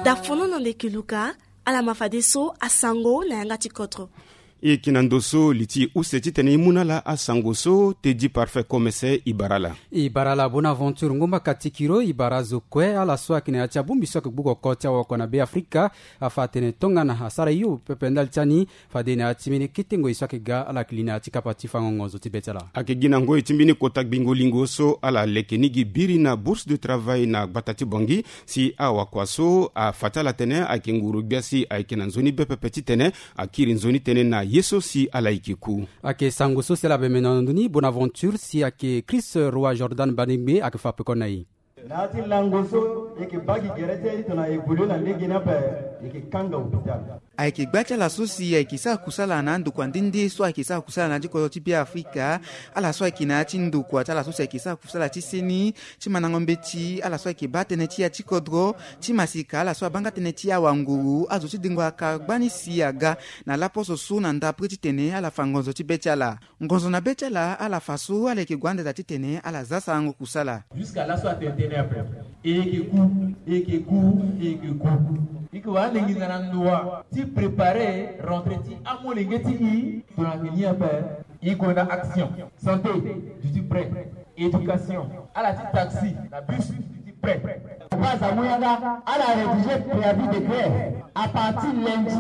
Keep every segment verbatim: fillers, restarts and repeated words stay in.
Dafono na ndeke luka. Ala ma fadeso asango na yanga ti kodro. E yeke na ndo so li ti use titene e mu na ala asango so Teddy Parfait Komese e bara ala. E bara ala Bonaventure Ngomba Katikiro, e bara azo kue ala so ayeke na ya ti abongbi so ayeke gbu oko ti awakua na Be Afrika. Afa atene tongana asara hio pepe ndali ti ani, fade na ya ti mbeni kete ngoi so ayeke ga ala yeke li na ya ti kapa ti fango ngonzo ti be ti ala. Ayeke gi na ngoi ti mbeni kota gbingo lingo so ala leke ni gi biri na bourse de travail na gbata ti Bangui, si awakua so afa ti ala tene ayeke nguru gbia si ayeke na nzoni be pepe titene akiri nzoni tënë na ye so si ala yeke ku. Ayeke sango so si ala bembe na ndo ni Bonaventure si ayeke Chris Roi Jordan Banegbe ayeke fa peko na e. Na ya ti lango so e yeke baa gi gere ti aye tongana e évolue na lege ni ape, e yeke kanga hôpital. Ayeke gba ti ala so si ayeke sara kusala na andokua nde nde so ayeke sara kusala na ya ti kodro ti Be Afrika. Ala so ayeke na ya ti ndokua ti ala so si ayeke sara kusala ti seni ti mandango mbeti, ala so ayeke baa tënë ti ya ti kodro ti masika, ala so abaa nga tënë ti awanguru, azo ti dengo aka gbani si aga na laposo so na ndapre titene ala fa ngonzo ti be ti ala. Ngonzo na be ti ala, ala fa so ala yeke gue ande daa titene ala za sarango kusala. Jusqu'à laso atene tënë ape, e yeke ku, e yeke ku, e yeke ku. E yeke wara lenginza na ndoa ti préparer rentrée ti amolenge ti e. Tongana ayeke ni ape, e gue na action. Santé, duti prêt. Éducation, ala ti taxi na bus, duti prêt. Papa Samu Yanga, ala rédiger préavis de grève. À partir lundi,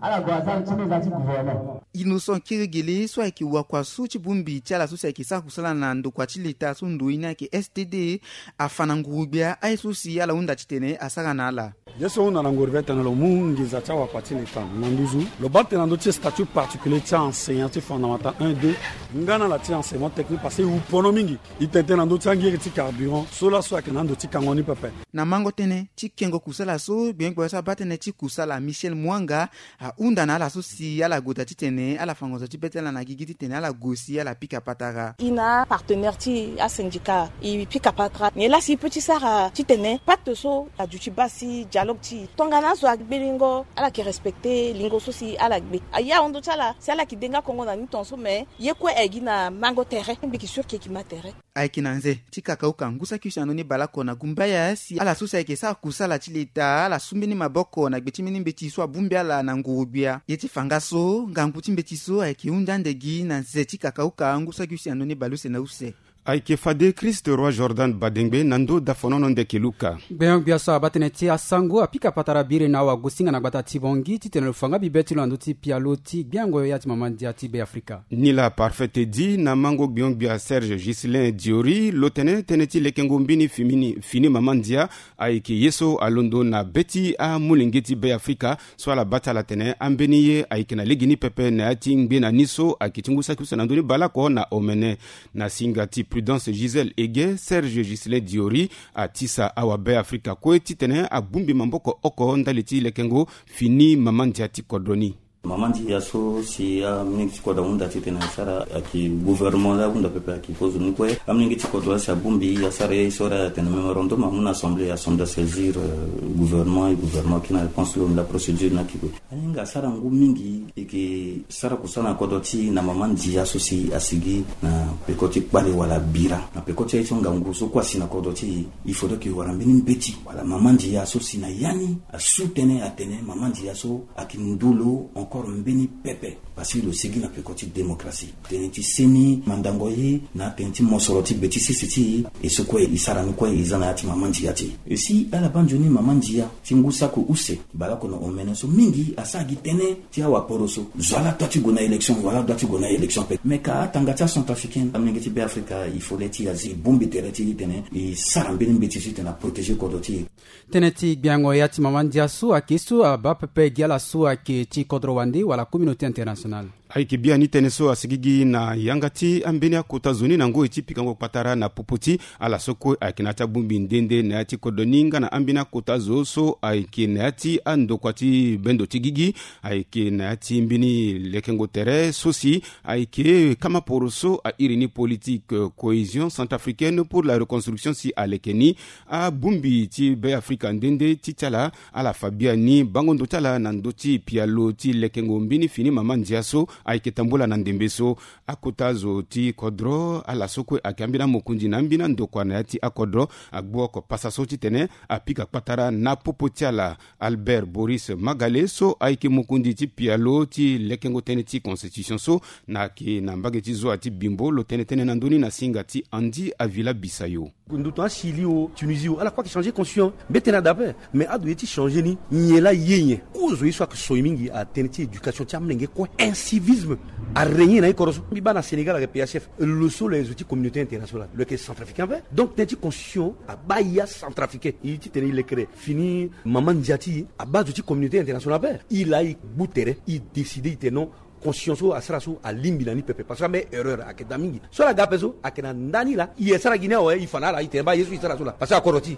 ala gue asara ti meza ti gouvernement. Innocent Kirigele so ayeke wakua so ti bongbi ti ala so si ayeke sara kusala na ndokua ti leta so ndo ye ni ayeke S T D, afa na nguru-gbia aye so si ala hunda titene asara na ala. Ye so hunda na nguru-gbia titene lo mu nginza ti awakua ti leta na nduzu, lo baa titene na ndö ti statut particulier ti aenseignant ti fondamental un deux, nga na ala ti enseignement technique, parce que e wu pono mingi. E tene titene na ndö ti angiri ti carburant so laso ayeke na ando ti kango ni pepe. Na mango tënë ti kengo kusala so gbenyogbia so abaa tënë ti kusala Michel Mwanga ahunda na ala so si ala gue daa titene ala fa ngonzo ti be ti ala na gigi titene ala gue si ala pika patara. E na apartenaire ti asyndicat e pika patara nyen laa si e peut ti sara titene pacte so aduti baa si dialogue ti e tongana azo agbe lingo ala yeke respecter lingo so si ala gbe. Aye ahon ndo ti ala si ala yeke de nga kongo na ni tongaso, mais ye kue aye gi na mango tere mbi yeke sûr ke e yeke ma tere. Ayeke na nze ti kakauka ngu saki use na ndö ni baleoko na gumbaya si ala so si ayeke sara kusala ti leta ala su mbeni maboko na gbe ti mbeni mbeti so abongbi ala na nguru-gbia. Ye ti fa nga so ngangu ti mbeti so ayeke hunda ande gi na nze ti kakauka ngu saki use na ndö ni baleuse na use. Ayeke fade Christ Roi Jordan Badengbe na ndö dafonono ndeke luka. Gbenyogbia so abaa tënë ti asango apika patara biri na awagosinga na gbata ti Bangui titene lo fa nga bibe ti lo na ndö ti pialo ti gbiango ya ti mama ndia ti Be Afrika. Ni laa Parfait Teddy na mango gbenyogbia Serge Ghislain Diori lo tene tënë ti lekengo mbeni fini, fini mama ndia ayeke ye so alondo na be ti amolenge ti Be Afrika so ala baa ti ala tene ambeni ye ayeke na legeni pepe na ya ti ngbe na ni so ayeke ti ngu saki use na ndö ni baleoko na omene. Na singa ti Prudence Gisèle Ege, Serge Ghislain Diori atisa awa Be Afrika kue titene abongbi maboko oko ndali ti lekengo fini mama ndia ti kodro ni. Mama ndia so si amolenge ti kodro ahunda titene asara ayeke gouvernement laa ahunda pepe ayeke kozo ni kue. Amolenge ti kodro laa si abongbi asara ye so laa atene mémorandum amu na assemblée, assemblée asaisir, euh, gouvernement, e gouvernement ayeke na réponse ti lo na procédure ni ayeke kue. Ahinga asara ngu mingi e yeke sara kusala na kodro ti e na mama ndia so si asigi na peko ti kpale wala bira na peko ti aye so ngangu so kue asi na kodro ti e. Il faudrait ke wara mbeni mbeti wala mama ndia so si na ya ni asu tënë atene mama ndia so ayeke ndu lo encore mbeni pepe. Parce que lo sigi na peko ti démocratie, tënë ti seni mandango ye na tënë ti mosoro ti be ti sese ti e. E so kue e sara ni kue e za na ya ti mama ndia ti e. E si ala baa nzoni mama ndia ti ngu saki use baleoko na omene so mingi asara gi tënë ti awaporo so. Zo ala doit ti gue na élection, zo ala doit ti gue na élection pepe. Mais ka atanga ti acentrafricain, amolenge ti Be Afrika, il faut le ti azi e bongbi tere ti e titene e sara mbeni mbeti so titene aprotéger kodro ti e. Tënë ti gbiango ya ti mama ndia so ayeke so abaa pepe gi ala so ayeke ti kodro wande wala communauté internationale. Ayeke biani tënë so asigi gi na yanga ti ambeni akota zo ni na ngoi ti pikango kpatara na popo ti ala so kue ayeke na ya ti abongbi nde nde na ya ti kodro ni nga na ambeni akota zo so ayeke na ya ti andokua ti bendo ti gigi. Ayeke na ya ti mbeni lekengo tere so si ayeke kama poro so a iri ni politique, euh, cohésion centrafricaine pour la reconstruction si aleke ni. Abongbi ti Be Afrika nde nde ti ti ala, ala fa biani bango ndo ti ala na ndö ti pialo ti lekengo mbeni fini mama ndia so Ayeke tambula na ndembe so akota zo ti kodro ala so kue ayeke ambeni amokonzi na ambeni andokua na ya ti akodro agbu oko pasa so titene apika kpatara na popo ti ala. Albert Boris Magale so ayeke mokonzi ti pialo ti lekengo tënë ti constitution so na yeke na mbage ti zoa ti Bimbo lo tene tënë na ndö ni na singa ti Andy Avila Bisayo. Ndutu asi li o Tunisie o ala kue ayeke changer constitution mbete na dape. Mais ado ye ti changer ni nyen laa ye nyen? Kozo ye so ayeke soi mingi atënë ti éducation ti amolenge kue, incivisme arégné na ye kodro so. Mbi baa na Sénégal ayeke pays chef, lo so lo yeke zo ti communauté internationale, lo yeke centrafricain ape. Donc tënë ti constitution abaa ye acentrafricain ye titene e lekere fini mama ndia ti e abaa zo ti communauté internationale ape. E laa e gbu tere e décider e tene non, constitution so asara so alingbi na ni pepe parce que ambeni erreur ayeke daa mingi. So ala ga ape so ayeke na ndani laa e sara gi ni awe, e fa na ala e tene baa ye so e sara so laa parce que akodro ti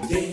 e.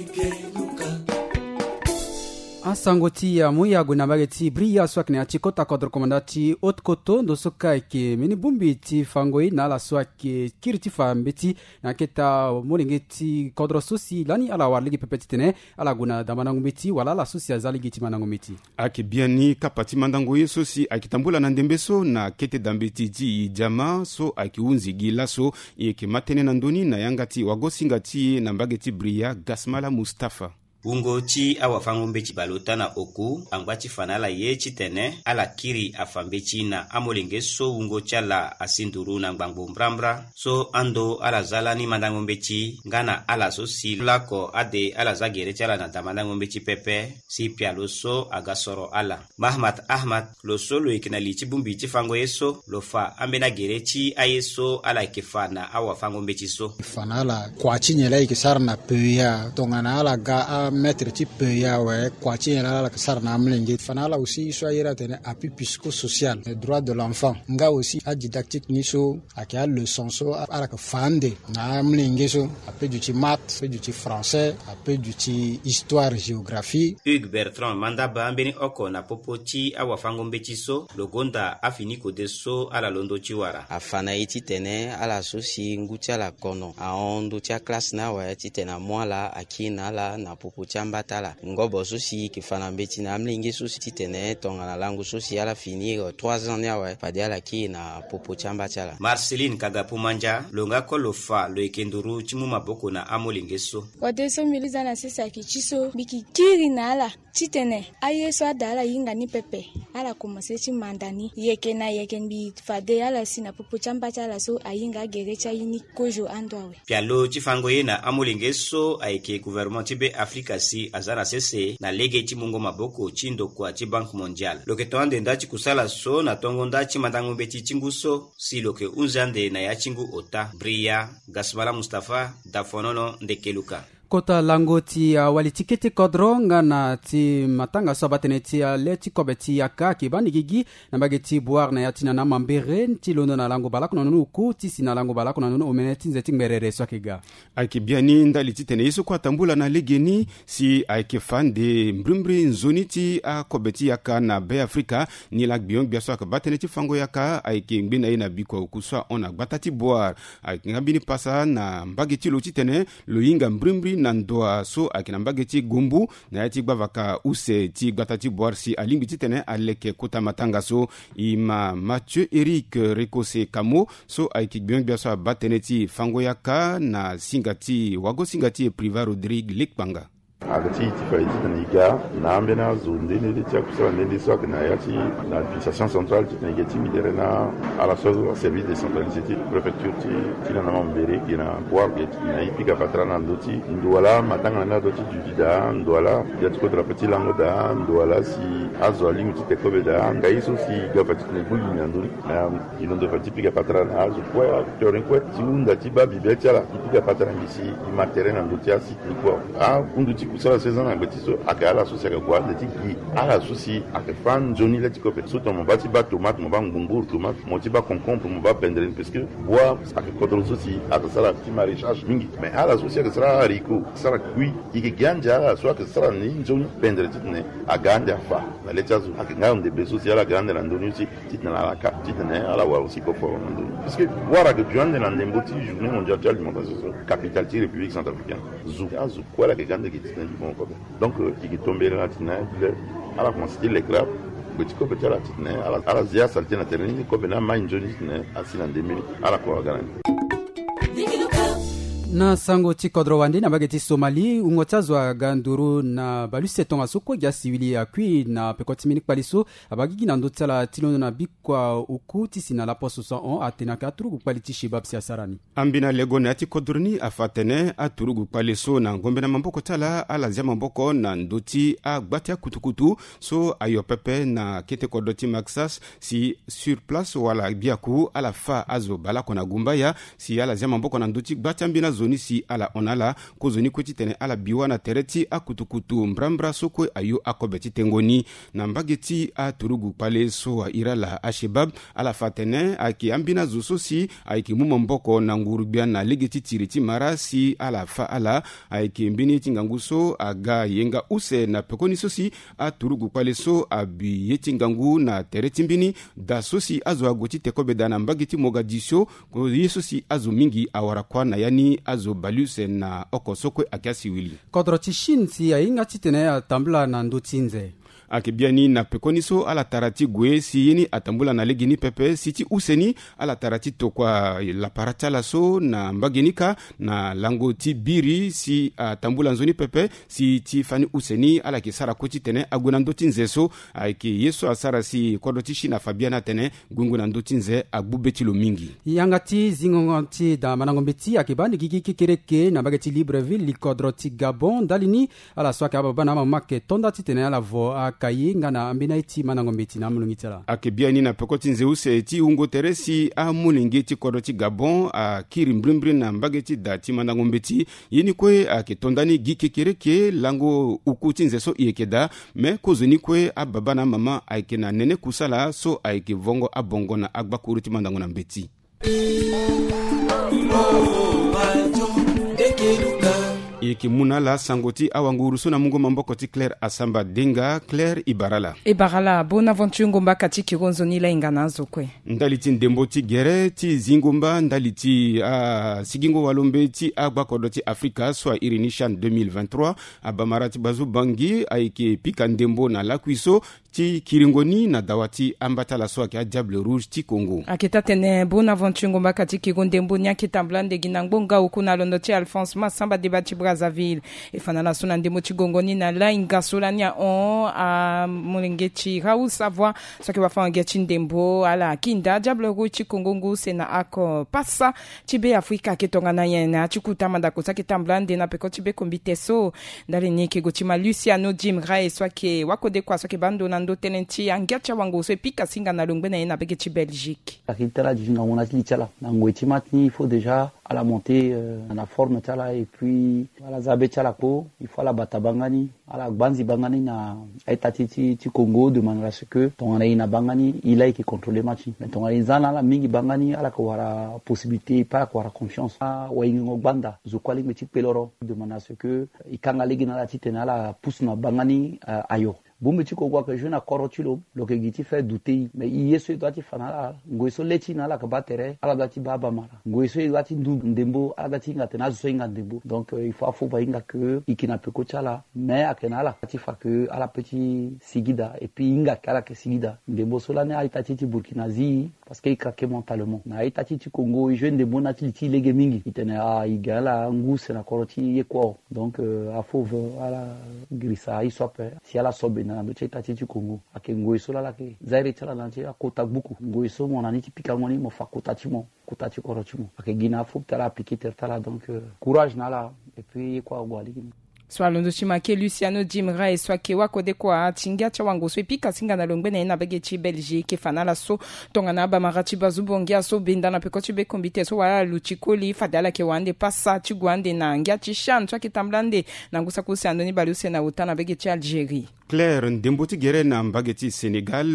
Asango ti amu ya gue na mbage ti Bria so ayeke na ya ti kota kodro komanda ti Haute Koto ndo so ka ayeke mbeni bongbi ti fango ye na ala so ayeke kiri ti fa mbeti na aketa molenge ti kodro so si lani ala wara lege pepe titene ala gue na da mandango mbeti wala ala so si aza lege ti mandango mbeti. Ayeke biani kapa ti mandango ye so si ayeke tambula na ndembe so na kete da mbeti ti Idiama so ayeke hunzi gi laso. E yeke ma tënë na ndö ni na yanga ti wagosinga ti e na mbage ti Bria, Gasmala Mustapha. Wungo ti awafango-mbeti baleota na oku angba ti fa na ala ye titene ala kiri afa mbeti na amolenge so wungo ti ala asi nduru na ngbangbo mbrambra so ando ala za lani mandango mbeti nga na ala so si lako ade ala za gere ti ala na da mandango mbeti pepe si pialo so aga soro ala. Mahmat Ahmad, lo so lo yeke na li ti bongbi ti fango ye so, lo fa ambeni agere ti aye so ala yeke fa na awafango-mbeti so. Fa na ala kua ti nyen laa e yeke sara na P E A, tongana ala ga amaître ti P E A awe, kua ti nyen laa ala yeke sara na amolenge? Fa na ala aussi ye so aye laa atene appui psychosocial, droit de l'enfant, nga aussi adidactique ni so ayeke aleçon so ala yeke fa ande na amolenge so, ape duti maths, ape duti français, ape duti histoire, géographie. Hugues Bertrand Mandaba, ambeni oko na popo ti awafango-mbeti so, lo gonda afini kode so ala londo ti wara. Afa na e titene ala so si ngu ti ala kono ahon ndö ti aklasse ni awe titene amu ala akiri na ala na popo ti amba ti ala. Ngobo so si e yeke fa na mbeti na amolenge so si titene tongana lango so si ala fini, euh, trois ans ni awe fade ala kiri na popo ti amba ti ala. Marceline Kagapu Mandia, lo nga kue lo fa lo yeke nduru ti mu maboko na amolenge so. Kode so mbi li za na sese ayeke ti so mbi yeke kiri na ala titene aye so ada ala hinga ni pepe, ala komanse ti manda ni yeke na yeke. Mbi fade ala si na popo ti amba ti ala so ahinga agere ti aye ni kozo ando awe. Pialo ti fango ye na amolenge so ayeke gouvernement ti Be Afrika si aza na sese na lege ti mungo maboko ti ndokua ti Banque Mondiale. Lo yeke to ande nda ti kusala so na tongo nda ti mandango mbeti ti ngu so si lo yeke hunzi ande na ya ti ngu ota. Bria, Gasmala Mustapha, Dafonono, Ndekeluka. Kota lango ti awali ti kete kodro nga na ti matanga so abaa tënë ti ale ti kobe ti yaka ayeke baa ni gigi na mbage ti Bouar na ya ti nana mambere ti londo na lango baleoko na nunu oku ti si na lango baleoko na nunu omene ti nze ti ngberere so ayeke ga. Ayeke biani ndali titene ye so kue atambula na legeni si ayeke fa ande mbrimbri nzoni ti akobe ti yaka na Be Afrika. Nilaa gbio gbia so ayeke baa tënë ti fango yaka ayeke ngbe na ye na bikua oku so ahon na gbata ti Bouar. Ayeke nga mbeni pasa na mbage ti lo titene lo hinga mbrimbri na ndoa so ayeke na mbage ti Gombo na ya ti gbavaka use ti gbata ti Bouar si alingbi titene aleke kota matanga so. E ma Mathieu Eric Rekose Kamo so ayeke gbio gbia so abaa tënë ti fango yaka na singa ti wagosinga ti e Privat Rodrigue Lekpanga. Ayeke ti e ti fa e titene e ga na ambeni azo nde nde ti akusala nde nde so ayeke na ya ti na administration centrale titene e ga ti mi tere na ala so azo aservice décentralisé ti préfecture ti ti na na mambere ge na Bouar ge titene e pika patara na ndö ti ndo wala matanga na ni azo ti duti daa ndo wala ya ti kodro ape ti lango daa ndo wala si azo alingbi ti te kobe daa nga ye so si e ga fa titene e gbu gi na ndö ni. Na e londo fa ti pika patara na azo kue ateur ni kue ti hunda ti baa bibia ti ala e pika patara ngi si e ma tere na ndö ti asi. Ni kue ahundu ti kusala so e za na gbe ti so ayeke ala so si ayeke gue ande ti gi ala so si ayeke fâ nzoni le ti kobe so tongana mo baa ti baa tomate mo baa ngbongboro tomate mo ti baa concombre mo baa bendere ni parce que Bouar ayeke kodro so si ayeke sara ti maraîchage mingi. Mais ala so si ayeke sara haricot sara kui e yeke gi ande ala so ayeke sara ni nzoni bendere titene aga ande afa na le ti azo. Ayeke nga ande be so si ala ga ande na ndö ni aussi titene ala ka titene ala wara aussi koforo na ndö ni parce que Bouar ayeke duti ande na ndembo ti journée mondiale ti alimentation so capitale ti république centrafricaine. Zo azo kue ala yeke ga ande gi titene gi bongo kobe. Donc e yeke tombere na titene ala komanse ti leke laa Gbe ti kobe ti ala titene ala ala zia sali ti na tere ni kobe na mai nzoni titene asi na ndembe ni. Ala kue aga na ni. Na sango ti kodro wande na mbage ti Somali, wungo ti azo aga nduru na baluse tongaso kue gi asiwili akui na peko ti mbeni kpale so abaa gigi na ndö ti ala ti londo na bikua oku ti si na laposo so ahon atene ayeke aturugu kpale ti Shebab si asara ni. Ambeni alego na ya ti kodro ni afa atene aturugu kpale so na ngombe na maboko ti ala ala zia maboko na ndö ti agba ti akutukutu so ayo pepe na kete kodro ti Maksas, si sur place wala biaku ala fa azo baleoko na gumbaya si ala zia maboko na ndö ti gba ti ambeni azo ni si ala hon na ala. Kozoni kue titene ala bi wâ na tere ti akutukutu mbrambra so kue ayo akobe ti tengo ni. Na mbage ti aturugu kpale so a iri ala Ashebab, ala fa atene ayeke ambeni azo so si ayeke mu maboko na nguru-gbia na lege ti tiri ti mara si ala fa ala. Ayeke mbeni ye ti ngangu so aga yenga use na pekoni so si aturugu kpale so abi ye ti ngangu na tere ti mbeni da so si azo ague ti te kobe daa na mbage ti Mogadiscio. Ye so si azo mingi awara kuâ na ya ni azo baleuse na oko so kue ayeke asiwili. Kodro ti Chine si ahinga titene atambula na ndö ti nze. Ayeke biani na pekoni so ala tara ti gue si ye ni atambula na legeni pepe si ti use ni ala tara ti tokua lapara ti ala so na mbage ni kâ na lango ti biri si atambula nzoni pepe si ti fani use ni ala yeke sara kue titene ague na ndö ti nze so. Ayeke ye so asara si kodro ti Chine afa biani atene gue ngu na ndö ti nze agbu be ti lo mingi. Yanga ti zingongo ti da mandango mbeti ayeke baa ande gigi kekereke na mbage ti Libreville li kodro ti Gabon ndali ni. Ala so ayeke ababa na amama ayeke to nda titene ala vo akaye nga na ambeni aye ti mandango mbeti na amolenge ti ala. Ayeke biani na peko ti nze use ti wungo tere si amolenge ti kodro ti Gabon akiri mbrimbri na mbage ti da ti mandango mbeti. Ye ni kue ayeke to nda ni gi kekereke lango uku ti nze so e yeke daa. Me kozoni kue ababa na amama ayeke na nene kusala so ayeke vongo abongo na agbakuru ti mandango na mbeti. E yeke mu na ala sango ti awanguru so na mungo maboko ti Claire Asamba Denga. Claire, e bara ala. E bara ala. Bonaventure Ngomba ka ti kiri nzoni lahinga na azo kue. Ndali ti ndembo ti gere ti zingo mba ndali ti asigingo walombe ti agbakodro ti Afrika so a iri ni CHAN deux mille vingt-trois, abamara ti Bazu Bangi ayeke pika ndembo na lakui so ti kiringo ni na dawa ti ambata ala so ayeke a Diable Rouge ti Congo. Ayeke taa-tene Bonaventure Ngomba ka ti kiringo ndembo ni ayeke tambula ande gi na ngbonga oku na londo ti Alphonse Massamba Deba ti Brazzaville. E fa na ala so na ndembo ti gongo ni na lahinga so lani ahon amolenge ti Raoul Savoie so ayeke wafango-gi ti ndembo ala kinda Diable Rouge ti Congo ngu use na oko pasa ti Be Afrika ayeke tongana nyen na ya ti kota mandako so ayeke tambula ande na peko ti be kombite so. Ndali ni e yeke gue ti ma Luciano Jim Ray so ayeke wakodekua so ayeke baa ndo na ndö tënë ti angia ti awango so e pika singa na longbe na ye na bege ti Belgique. Ayeke ti tara duti ngangu na ti li ti ala na ngoi ti match ni, il faut déjà ala monter na forme ti ala et puis ala za be ti ala kpo. Il faut ala bata banga ni, ala gbanzi banga ni na a-ita ti ti Congo de manière à ce que tongana e na banga ni e laa e yeke contrôler match ni. Mais tongana e za na ala mingi banga ni ala yeke wara possibilité, e pe ala yeke wara confiance. Awaingingo gbanda zo kue alingbi ti kpe loro de manière à ce que e kanga lege na ala titene ala pousse na banga ni ayo. Bongbi ti Congo ayeke jouer na kodro ti lo, lo yeke gi ti faire douter e. Mais e ye so e doit ti fa na ala, ngoi so le ti e na ala yeke baa tere, ala doit ti baa abamara. Ngoi so e doit ti ndu ndembo, ala doit ti hinga atene azo so ahinga ndembo. Donc il faut afo ahinga ke e yeke na peko ti ala. Mais ayeke na ala ti fa ke ala pe ti sigi daa et puis e hinga ke ala yeke sigi daa. Ndembo so lani a-ita ti e ti Burkina zi e parce que e craquer mentalement. Na a-ita ti e ti Congo e jouer ndembo na ti li ti e lege mingi. E tene ah e ga ala ngu use na kodro ti e kue. Donc afo ve ala girisa e so ape si ala so benda na ndö ti a-ita ti e ti Congo. Ayeke ngoi so laa ala yeke za iri ti ala na ya ti akota gbuku. Ngoi so mo na ni ti pikango ni mo fa kota ti mo, kota ti kodro ti mo. Ayeke gi na afo ti ala appliquer tere ti ala. Donc courage na ala et puis e kue ague aliki ni. So alondo ti make Luciano Jim Ray so ayeke wakodekua ti ngia ti awango so e pika singa na longbe na ye na bege ti Belgique e fa na ala so tongana abamara ti Bazu Bongia so benda na peko ti be kombite so wala ala luti koli fade ala yeke wara ande pasa ti gue ande na ngia ti CHAN so ayeke tambula ande na ngu saki use na ndoni baleuse na ota na bege ti Algérie. Claire, ndembo ti gere na mbage ti Sénégal,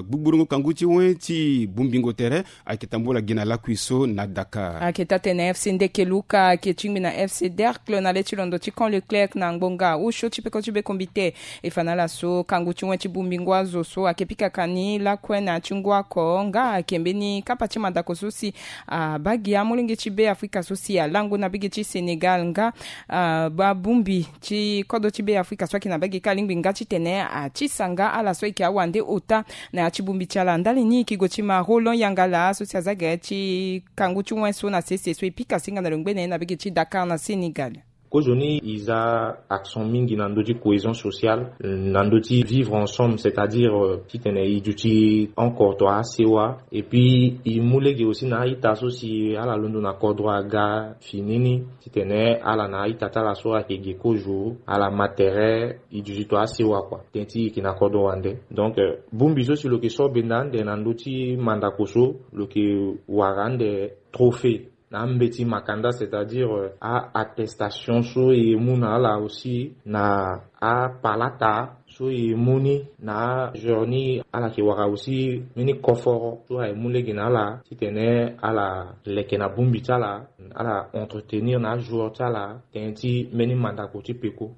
gbugburongo kangu ti wen ti bongbingo tere ayeke tambula gi na lakui so na Dakar. Ayeke taa-tene FC Ndeke Luka ayeke tingbi na FC Dercle na le ti londo ti Camp Leclerc na ngbonga osio ti peko ti be kombite. E fa na ala so kangu ti wen ti bongbingo azo so ayeke pika ka ni lakue na ya ti ngu oko nga ayeke mbeni kapa ti mandako so si abaa gi amolenge ti Be Afrika so si alango na bege ti Sénégal nga abaa bongbi ti kodro ti Be Afrika so ayeke na bege kâ alingbi nga ti tene ati sanga ala so eke awande ota na ya ti bongbi ti ala ndali ni eke go ti ma Roland Yangala so si aza gere ti kangu ti wen so na sese so e pika singa na lo ngbene na bege ti Dakar na Sénégal. Kozoni e za accent mingi na ndö ti cohésion sociale, na ndö ti vivre ensemble, c'est-à-dire titene e duti encore to asewa. Et puis e mu lege aussi na a-ita so si ala londo na kodro aga fini ni, titene ala na a-ita ti ala so ayeke ge kozo ala ma tere e duti to asewa kua teti e yeke na kodro wande. Donc bongbi so si lo yeke so benda ande na ndö ti mandako so lo yeke wara ande trophée na ambeti makanda, c'est-à-dire a attestation so e mu na ala aussi na apalata so e mu ni na ajour ni. Ala yeke wara aussi mbeni koforo so aye mu lege na ala titene ala leke na bongbi ti ala, ala entretenir na ajour ti ala tënë ti mbeni mandako ti peko.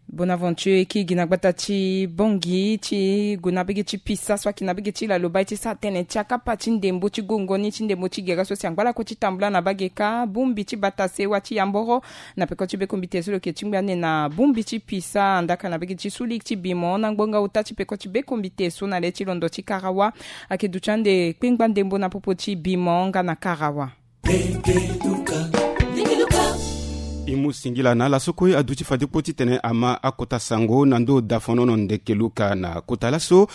Bonaventure eke gi na gbata ti bongi ti gue na bege ti pisa so ake na bege ti lalo bai ti sa tene ti akapa ti ndembo ti gongo ni ti ndembo ti gere so si angba lako ti tambula na bage ka bongbi ti bata sewa ti yamboro na peko ti bekombite so lo yeke tingbi ande na bongbi ti pisa andaka na bege ti suli ti bimo na ngbonga ota ti peko ti bekombite so na le ti londo ti karawa. Ake duti ande kpengba ndembo na popo ti bimo nga na karawa. E mu singila na ala so kue aduti fade kpo titene ama akota sango na ndo dafonono ndeke luka na kota laso.